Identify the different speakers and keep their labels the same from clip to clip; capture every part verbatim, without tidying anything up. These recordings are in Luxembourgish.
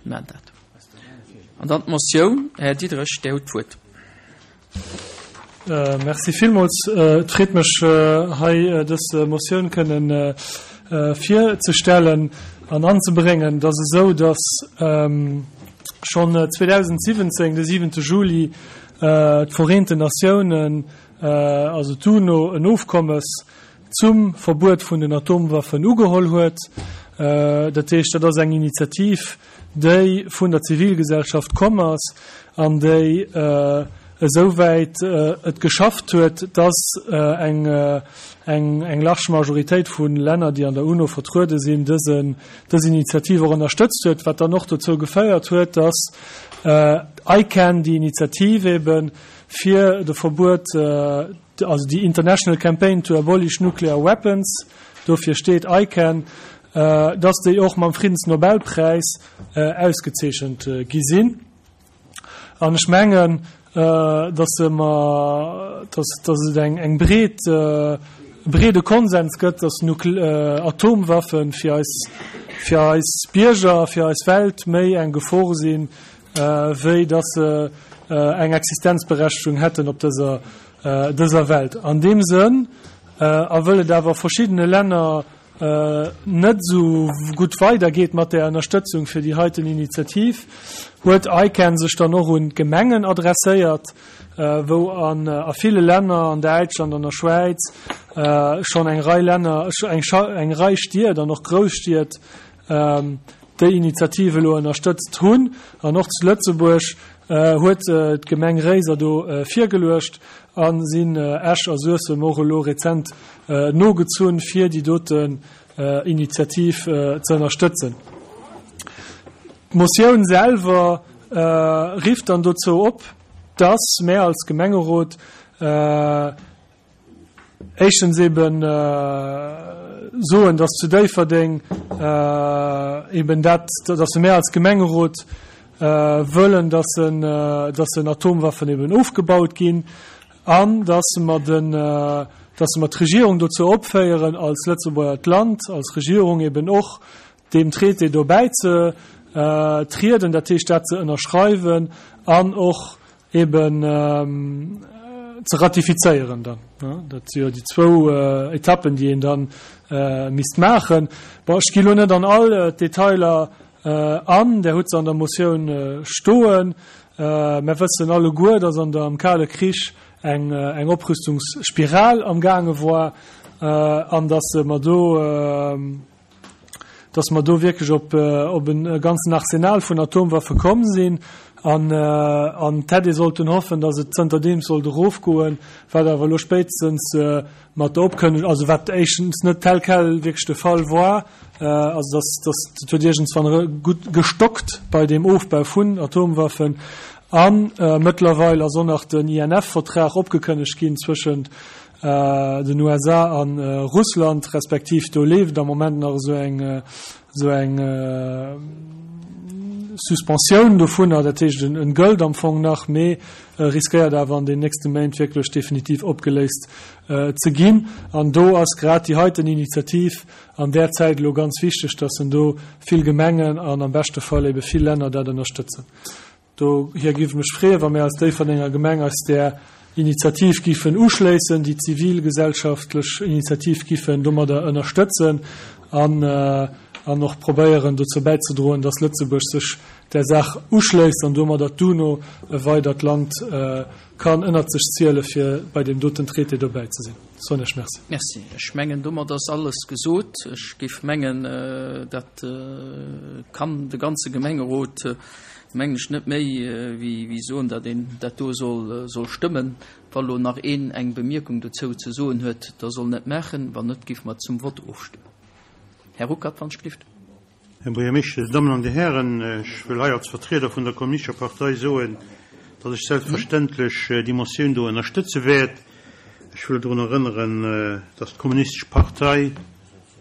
Speaker 1: Mir maachen dat. An dann d'Motioun. Här Diderich, Dir hutt d'Wuert.
Speaker 2: Merci villmools. Et freet mech, hei dës Motioun kënnen virzestellen an anzebréngen. Et ass esou, dass schonn zweedausendsiwwenzéng, de siwente Juli, d'Vereenten Natiounen, also d'UNO, en Ofkommes zum Verbuet vun den Atomwaffen ugeholl huet. Dat heescht, dat ass eng Initiativ, déi vun der Zivilgesellschaft komm ass an déi esouwäit et geschafft huet, dass eng eng large Majoritéit vu Länner, déi an der UNO vertruede sinn, dësen dës Initiativ och ënnerstëtzt huet, wat dann och dozou geféiert huet, dass ICAN, déi Initiativ ebe fir de Verbuet, also déi International Campaign to Abolish Nuclear Weapons, dofir steet ICAN, dass déi och mam Friddensnobelpräis ausgezeechent gi sinn. An ech mengen, dass mer, dass, dass et eng, eng breet, e breede Konsens gëtt, dass Nukle-, Atomwaffe fir eis, fir eis Bierger, fir eis Welt méi eng Gefor sinn, wéi dass se eng Existenzberechtigung hätten op dëser, dëser Welt. An deem Sënn, a wëll et awer verschiddene Länner net esou gutt weidergeet mat där Ënnerstëtzung fir déi heiten Initiativ, huet ICAN sech dann och un d'Gemengen adresséiert, wou an a ville Länner, an Däitschland, an der Schwäiz, schonn eng Rei Länner, eng Rei Stied an och Grousstied déi Initiativ elo ënnerstëtzt hunn. An och zu Lëtzebuerg huet d'Gemeng Réiser do virgeluecht a sinn Esch a Suessem och elo rezent nogezunn, fir déi doten Initiativ ze ënnerstëtzen. D'Motioun selwer rifft dann dozou op, dass mär als Gemengerot éischtens eben soen, dass zu Déifferdeng eben dat, dass mär als Gemengerot wëllen, dass en, dass en Atomwaffen eben ofgebaut ginn an dass mer den, dass mer d'Regierung dozou opféieren, als Lëtzebuerger Land, als Regierung eben och deem Traité do bäizetrieden, dat heescht dat ze ënnerschreiwen an och eben ze ratifizéieren dann. Dat si jo déi zwou Etappen, déi een da misst maachen. Bon, ech gi lo net an all d'Detailer an, Där hutt se an der Motioun stoen. Mer wëssen alleguer, dass an der, am Kale Krich eng, eng Oprüstungsspiral amgaange war an dass mer do, dass mer do wierklech op, op e ganzen Arsenal vun Atomwaffe komm sinn an, an et hätt ee sollten hoffen, dass et zënterdeems sollt erofgoen, wat awer elo spéitstens mat der Opkënnegung, also wat éischtens net tel quel wierklech de Fall war, also dass, dass et huet iergendswann gutt gestockt bei deem Ofbau vun Atomwaffen a mëttlerweil ass och nach den I N F-Vertrag opgekënnegt ginn zwëschent den U S A a Russland, respektiv do leeft am Moment nach esou eng, esou eng Suspensioun dovunner, dat heescht en gëllt am Fong nach, mee riskéiert awer an den nächste Méint wierklech definitiv opgeléist ze ginn. An do ass grad déi heiten Initiativ an där Zäit elo ganz wichteg, dass en do vill Gemengen an am beschte Fall ebe vill Länner dat ënnerstëtzen. Dohier géif ech mech freeën, wa mir als Déifferdenger Gemeng eis där Initiativ giffen uschléissen, déi zivilgesellschaftlech Initiativ giffen domadder ënnerstëtzen an an och probéieren dozou bäizedroen, dass Lëtzebuerg sech där Saach uschléisst an domadder d'UNO e weidert Land kann ënnert sech ziele fir bei deem doten Traité dobäi ze sinn. Soen ech Merci.
Speaker 1: Merci. Ech mengen, domat ass alles gesot. Ech géif mengen, dat kann de ganze Gemengerot, mengen ech, net méi wéi soen, datt een dat do soll soll stëmmen. Wa lo nach een eng Bemierkung dozou ze soen huet, da soll en et maachen. Wann net, géife mer zum Vott ofstëmmen. Här Ruckert, wann ech gelift.
Speaker 3: Här Buergermeeschter, Dir Dammen an Dir Hären, ech wëll hei als Vertrieder vun der Kommunistescher Partei soen, datt ech selbstverständlech déi Motioun do ënnerstëtze wäert. Ech wëll drun erënneren, datt d'Kommunistesch Partei,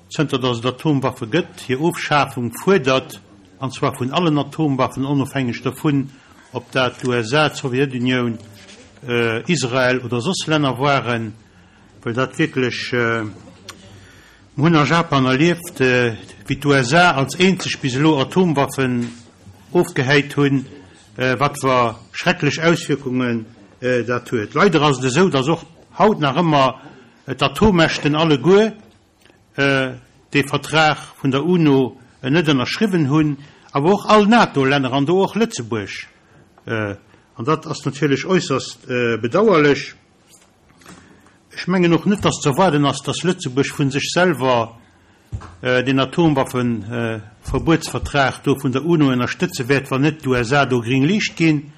Speaker 3: zënter datt et Atomwaffe gëtt, hir Ofschafung fuerdert, an zwar vun allen Atomwaffen, onofhängeg dovun, ob dat d'U S A, d'Sowjetunioun, Israel oder soss Länner waren, well dat wierklech, mir hunn a Japan erlieft, wéi d'U S A als eenzeg bis elo Atomwaffen ofgehäit hunn, wat fir schrecklech Auswierkungen dat huet. Leider ass et esou, dass och haut nach ëmmer d'Atommächten alleguer dee Vertrag vun der UNO net ënnerschriwwen hunn, awer och all NATO-Länner an do och Lëtzebuerg. An dat ass natierlech äusserst bedauerlech. Ech mengen och net, dass ze erwaarden ass, dass Lëtzebuerg vu sech selwer deen Atomwaffeverbuetsvertrag do vun der UNO ënnerstëtze wäert, wann net d'USA do gréng Liicht ginn.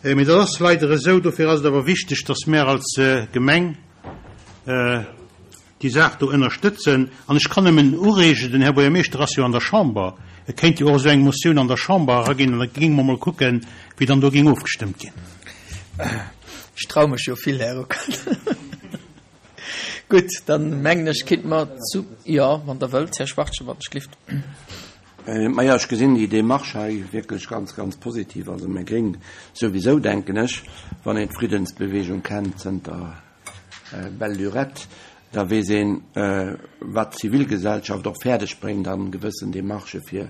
Speaker 3: Mee dat ass leider esou. Dofir ass et awer wichteg, dass mär als Gemeng déi Saach do ënnerstëtzen. An ech kann nëmmen ureegen, den Här Buergermeeschter ass jo an der Chamber, e kéint jo och esou eng Motioun an der Chamber eraginn an da géinge mer mol kucken, wéi dann do géing ofgestëmmt ginn.
Speaker 1: Ech traue mech jo vill, Här Ruckert. Gutt, dann mengen ech, kéinte mer zu, jo, wann Der wëllt, Här Schwachtgen, wann ech gelift.
Speaker 4: Majo, ech gesinn déi Démarche hei wierklech ganz, ganz positiv. Also mir Gréng souwisou, denken ech, wann een d'Friddensbewegung kennt zënter belle lurette, da weess een, wat d'Zivilgesellschaft och fäerdeg bréngt an gewëssen Démarchë fir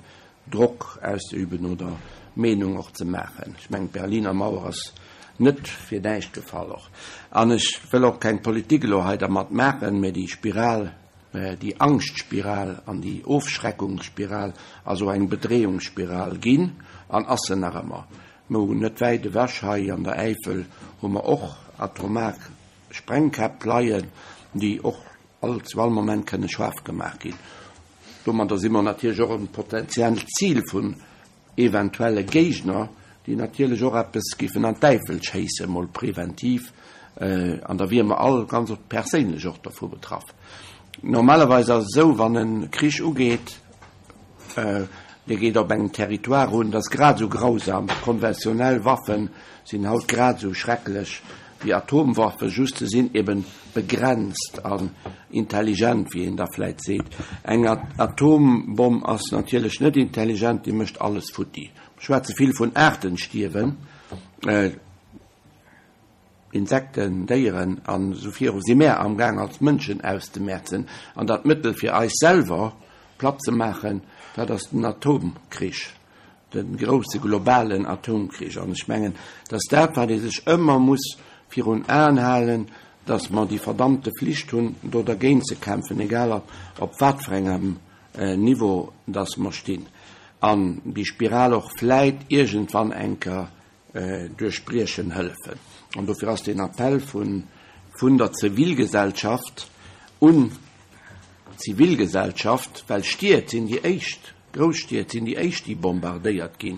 Speaker 4: Drock auszeüben oder Meenung och ze maachen. Ech mengen, d'Berliner Mauer ass net fir näischt gefall och. An ech wëll och keng Politik elo hei dermat maachen, mä déi Spiral, déi Angschtspiral an déi Ofschreckungsspiral ass och eng Bedreeungsspiral ginn an ass se nach ëmmer. Mer hunn net wäit ewech hei an der Äifel hu mer och atomar Sprengkäpp leien, déi och all zu all Moment kënne schaarf gemaach ginn. Domadder si mer natierlech och e potenziellt Zil vun eventuelle Géigner, déi natierlech och eppes géifen an d'Äifel schéissen, mol preventiv, an da wiere mer all ganz perséinlech och dovu betraff. Normalerweis ass et esou, wann e Krich ugeet, dee geet op engem Territoire un, dat ass grad esou grausam, konventionell Waffe sinn haut grad esou schrecklech wéi Atomwaffen, just se sinn eben begrenzt an intelligent, wéi een da vläit seet. Eng Atombomm ass natierlech net intelligent, déi mécht alles futti. Mir schwätze vill vun Aartenstierwen, Insekten, Déieren an esou viru. Si mär amgaang als Mënschen auszemäerzen. An dat Mëttel fir eis selwer platt ze maachen, dat ass den Atomkrich, de grousse globalen Atomkrich. An ech mengen, dat ass dat, wat ee sech ëmmer muss virun Aen halen, datt mer déi verdammte Flicht hunn, do dergéint ze kämpfen, egal op wat fir engem Niveau datt mer stinn. An déi Spiral och vläit iergendwann eng Kéier duerchbriechen hëllefen. An dofir ass deen Appell vun vun der Zivilgesellschaft un d'Zivilgesellschaft, well Stied sinn déi éischt, Grousstied sinn déi éischt, déi bombardéiert ginn,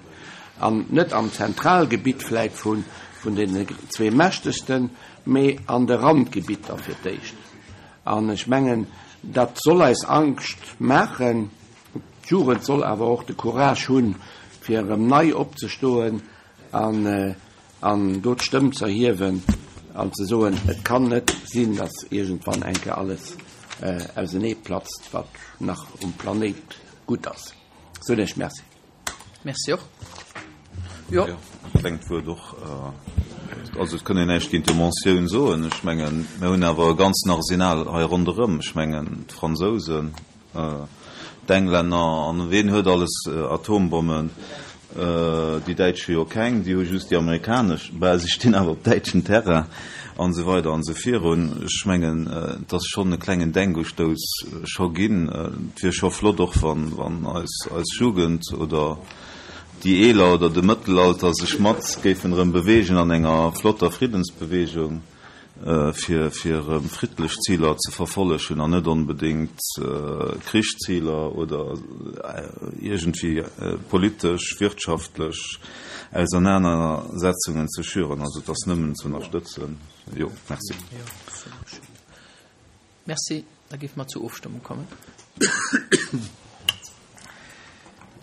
Speaker 4: an net am Zentralgebitt vläit vun vun deenen zwee mächtegsten, mee an de Randgebitter fir d'éischt. An ech mengen, dat soll eis Angscht maachen. D'Jugend soll awer och de Courage hunn, fir erëm nei opzestoen an an do d'Stëmm z'erhiewen an ze soen, Et kann net sinn, datt iergendwann eng Kéier alles auseneeplatzt, wat nach um Planéit gutt ass. Soen Iech Merci.
Speaker 1: Merci och. Jo.
Speaker 5: Jo, e klengt Wuert och. Also et kann een näischt géint déi Motioun soen. Ech mengen, mir hunn awer e ganzen Arsenal hei ronderëm. Ech mengen, d'Fransousen, d'Englänner an wien huet alles Atombommen? Déi Däitsch hu jo keng, déi hu just déi amerikanesch. Bah, si stinn awer op däitschem Terrain an esou weider an esou virun. Ech mengen, et ass schonn e klengen Denkustouss scho ginn. Et wier scho flott och, wann, wann eis, eis Jugend oder déi Eeler oder de Mëttelalter sech mat géifen erëm beweegen an enger flotter Friddensbewegung, fir fir erëm friddlech Ziler ze verfollegen an net onbedéngt Krichsziler oder iergendwéi politesch, wirtschaftlech Ausernanersetzungen ze schüren. Also et ass nëmmen ze ënnerstëtzen. Jo, merci.
Speaker 1: Merci. Da géife mer zur Ofstëmmung kommen.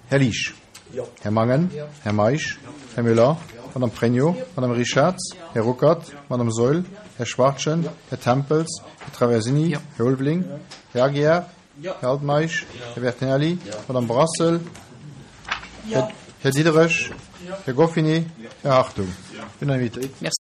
Speaker 6: Här Liesch. Här Mangen. Här Meisch. Här Müller. Madame Pregno. Madame Richarz. Här Ruckert. Madame Saeul. Här Schwachtgen. Här Tempels. Här Traversini. Här Ulveling. Här Aguiar. Här Altmeisch. Här Bertinelli. Madame Brassel. Här Diderich. Här Goffinet. Här Hartung. Unanimitéit.
Speaker 1: Merci.